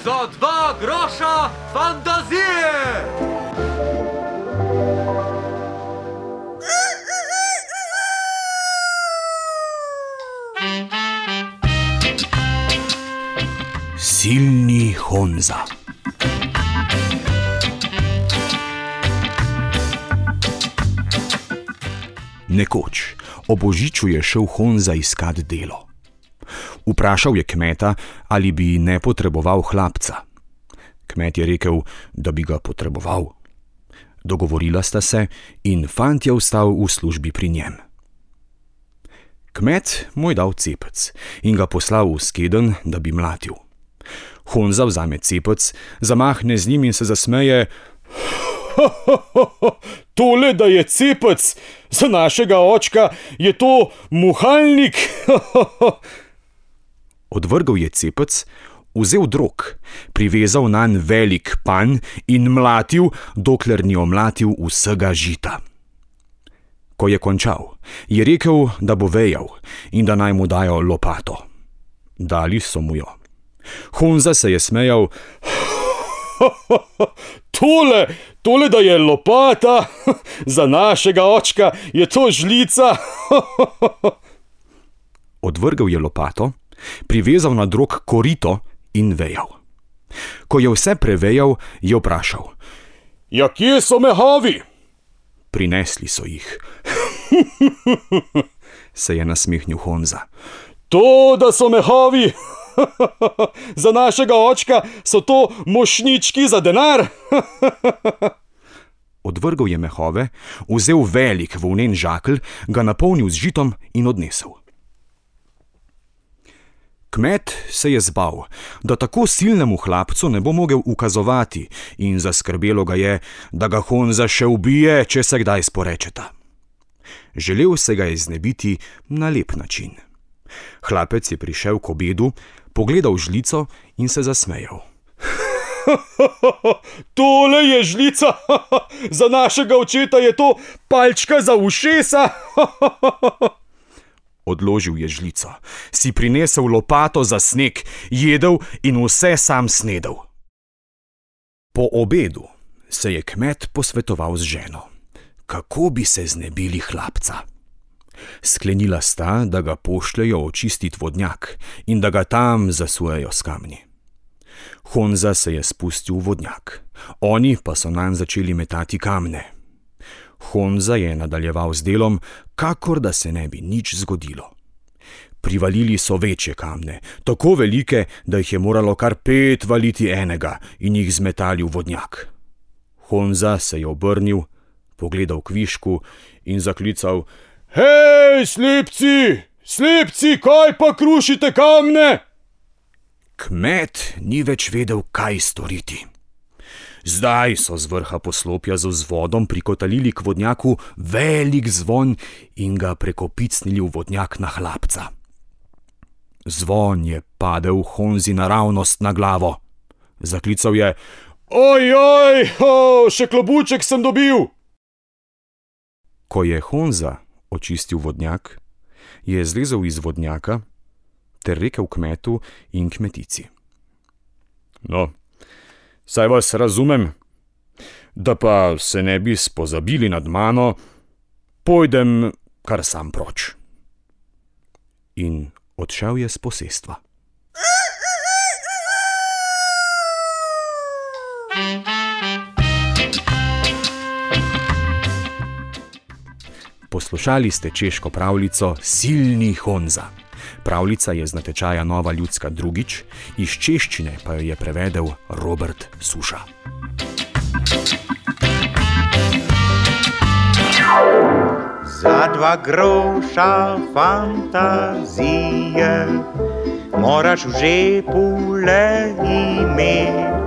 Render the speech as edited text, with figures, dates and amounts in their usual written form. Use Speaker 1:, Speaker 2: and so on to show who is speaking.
Speaker 1: Za 2 groša fantazije!
Speaker 2: Silni Honza. Nekoč ob božiču je šel Honza iskat delo. Vprašal je kmeta, ali bi ne potreboval hlapca. Kmet je rekel, da bi ga potreboval. Dogovorila sta se in fant je ostal v službi pri njem. Kmet mu je dal cepec in ga poslal v skedenj, da bi mlatil. Honza vzame cepec, zamahne z njim in se zasmeje. Tole, da je cepec, za našega očka je to muhalnik. Odvrgel je cepec, vzel drog, privezal nanj velik panj in mlatil, dokler ni omlatil vsega žita. Ko je končal, je rekel, da bo vejal in da naj mu dajo lopato. Dali so mu jo. Honza se je smejal. Tole, da je lopata, za našega očka je to žlica. Odvrgel je lopato, privezal na drog korito in vejal. Ko je vse prevejal, je vprašal. Ja, kje so mehavi? Prinesli so jih. Se je nasmehnil Honza. To, da so mehavi, za našega očka so to mošnjički za denar. Odvrgel je mehove, vzel velik volnen žakelj, ga napolnil z žitom in odnesel. Kmet se je zbal, da tako silnemu hlapcu ne bo mogel ukazovati in zaskrbelo ga je, da ga Honza še ubije, če se kdaj sporečeta. Želel se ga je znebiti na lep način. Hlapec je prišel k obedu, pogledal žlico in se zasmejal. Tole je žlica, za našega očeta je to palčka za ušesa. Odložil je žlico, si prinesel lopato za sneg, jedel in vse sam snedel. Po obedu se je kmet posvetoval z ženo, kako bi se znebili hlapca. Sklenila sta, da ga pošljejo očistit vodnjak in da ga tam zasujejo s kamni. Honza se je spustil v vodnjak, oni pa so nanj začeli metati kamne. Honza je nadaljeval z delom, kakor da se ne bi nič zgodilo. Privalili so večje kamne, tako velike, da jih je moralo kar 5 valiti enega in jih zmetali v vodnjak. Honza se je obrnil, pogledal kvišku in zaklical: Hej, slepci, kaj pa krušite kamne? Kmet ni več vedel, kaj storiti. Zdaj so z vrha poslopja z vzvodom prikotalili k vodnjaku velik zvon in ga prekopicnili v vodnjak na hlapca. Zvon je padel Honzi naravnost na glavo. Zaklical je: Ojoj, še klobuček sem dobil! Ko je Honza očistil vodnjak, je zlezel iz vodnjaka ter rekel kmetu in kmetici: No, saj vas razumem, da pa se ne bi spozabili nad mano, pojdem kar sam proč. In odšel je s posestva. Poslušali ste češko pravljico Silni Honza. Pravljica je z natečaja Nova ljudska drugič, iz češčine pa jo je prevedel Robert Suša.
Speaker 3: Za 2 groša fantazije moraš v žepu le imeti.